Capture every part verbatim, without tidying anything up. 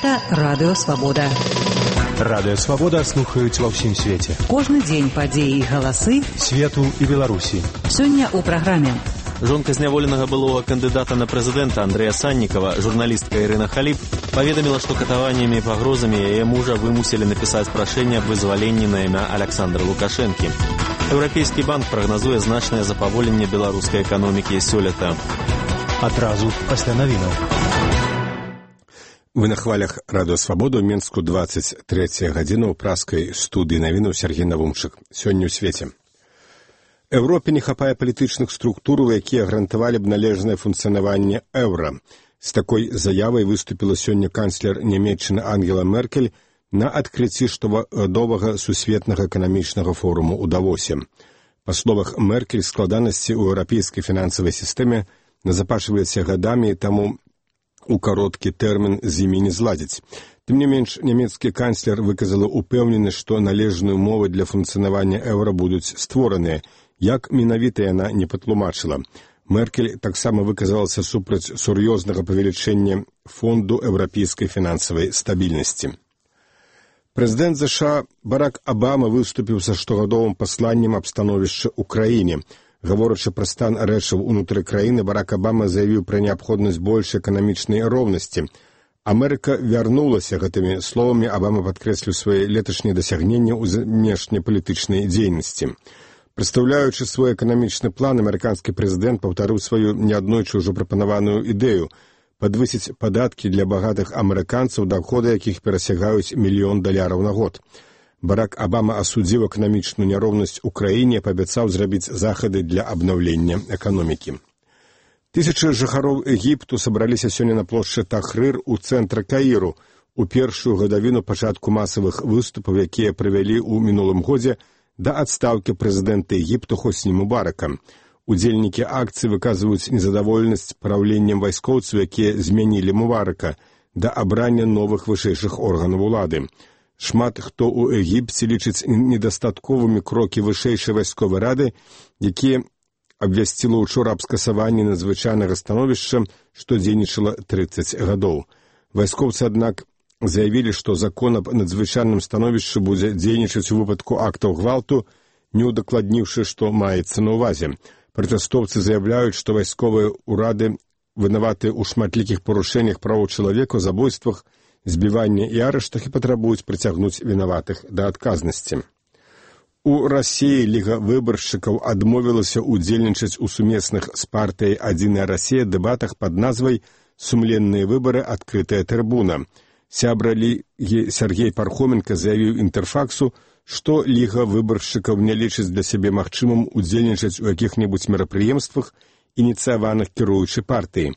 Гэта Радыё Свабода. Радыё Свабода слухаюць ва ўсім свеце. Кожны дзень падзеі і галасы свету і Беларусі. Сёння ў праграме. Жонка зняволенага былога кандыдата на прэзідэнта Андрэя Саннікава, журналістка Ірына Халіп, паведаміла, што катаваннямі і пагрозамі яе мужа вымусілі напісаць прашэнне аб вызваленні на імя Аляксандра Лукашэнкі. Еўрапейскі банк прагназуе значнае запаволенне беларускай эканомікі сёлета. Адразу пасля навінаў. Вы на хвалях Радыё Свабода ў Менску дваццаць трэцяя гадзіна ў праскай студыі навінаў Сергей Навумчык. Сёння ў свеце. Еўропе не хапае палітычных структур, якія гарантавалі б належнае функцыянаванне еўра. З такой заявай выступіла сёння канцлер Нямецчыны Ангела Меркель на адкрыцці штогадовага сусветнага эканамічнага форуму ў Давосе. Па словах Меркель, складанасці ў еўрапейскай фінансавай сістэме назапашваюцца гадамі, і таму у кароткі тэрмін з імі не зладзіць. Тым не менш, нямецкі канцлер выказала упэўненасць, што належныя ўмовы для функцыянавання еўра будуць створаныя, як менавіта яна не патлумачыла. Меркель таксама выказалася супраць сур'ёзнага павелічэння фонду еўрапейскай фінансавай стабільнасці. Прэзідэнт ЗША Барак Абама выступіў са штогадовым пасланнем аб становішчы ў краіне. Гаворачы пра стан рэчаў унутры краіны, Барак Абама заявіў пра неабходнасць большай эканамічнай роўнасці. Амерыка вярнулася гэтымі словамі, Абама падкрэсліў свае леташнія дасягненні ў знешнепалітычнай дзейнасці. Прадстаўляючы свой эканамічны план, амерыканскі прэзідэнт паўтарыў сваю неаднойчы ўжо прапанаваную ідэю падвысіць падаткі для багатых амерыканцаў, даходы якіх перасягаюць мільён даляраў на год. Барак Абама асудзіў эканамічную няроўнасць у краіне, паабяцаў зрабіць захады для абнаўлення эканомікі. Тысячы жыхароў Егіпту сабраліся сёння на плошчы Тахрыр у цэнтры Каіру у першую гадавіну пачатку масавых выступаў, якія правялі ў мінулым годзе да адстаўкі прэзідэнта Егіпту Хосні Мубарака. Удзельнікі акцыі выказваюць незадаволенасць праўленнем вайскоўцаў, якія змянілі Мубарака, да абрання новых вышэйшых органаў улады. Шмат хто ў Егіпце лічыць недастатковымі крокі вышэйшай вайсковай рады, якія абвясціла учора аб скасаванні надзвычайнага становішча, што дзейнічала трыццаць гадоў. Вайскоўцы, аднак, заявілі, што закон аб надзвычайным становішчы будзе дзейнічаць у выпадку актаў гвалту, не ўдакладніўшы, што маецца на ўвазе. Пратэстоўцы заяўляюць, што вайсковыя ўрады вінаватыя ў шматлікіх парушэннях правоў чалавека, забойствах, збіванні і арыштах і патрабуюць прыцягнуць вінаватых да адказнасці. У Расіі Ліга выбаршчыкаў адмовілася ўдзельнічаць у сумесных з партыяй «Адзіная Расія» дэбатах пад назвай «Сумленныя выбары. Адкрытая трыбуна». Сябра Лігі Сергей Пархоменка заявіў Інтэрфаксу, што Ліга выбаршчыкаў не лічыць для сябе магчымым удзельнічаць у якіх-небудзь мерапрыемствах, ініцыяваных кіруючай партыі.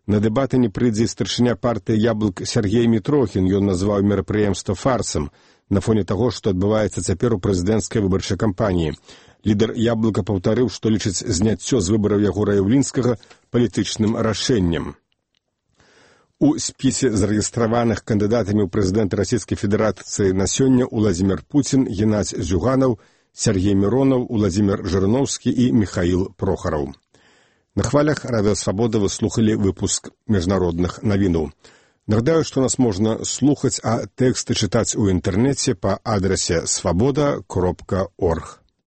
На дэбаты не прыйдзе старшыня партыі «Яблык» Сергей Мітрохін, ён назваў мерапрыемства фарсам на фоне таго, што адбываецца цяпер у прэзідэнцкай выбарчай кампаніі. Лідар «Яблыка» паўтарыў, што лічыць зняццё з выбараў Ягора Яўлінскага палітычным рашэннем. У спісе зарэгістраваных кандыдатамі ў прэзідэнта Расійскай Федэрацыі на сёння Уладзімір Пуцін, Геннадзь Зюганаў, Сергей Міронаў, Уладзімір Жырноўскі і Міхаіл Прохараў. На хвалях Радыё Свабода вы слухалі выпуск міжнародных навінаў. Нагадаю, што нас можна слухаць, а тэксты чытаць у інтэрнэце па адрасе свабода кропка орг.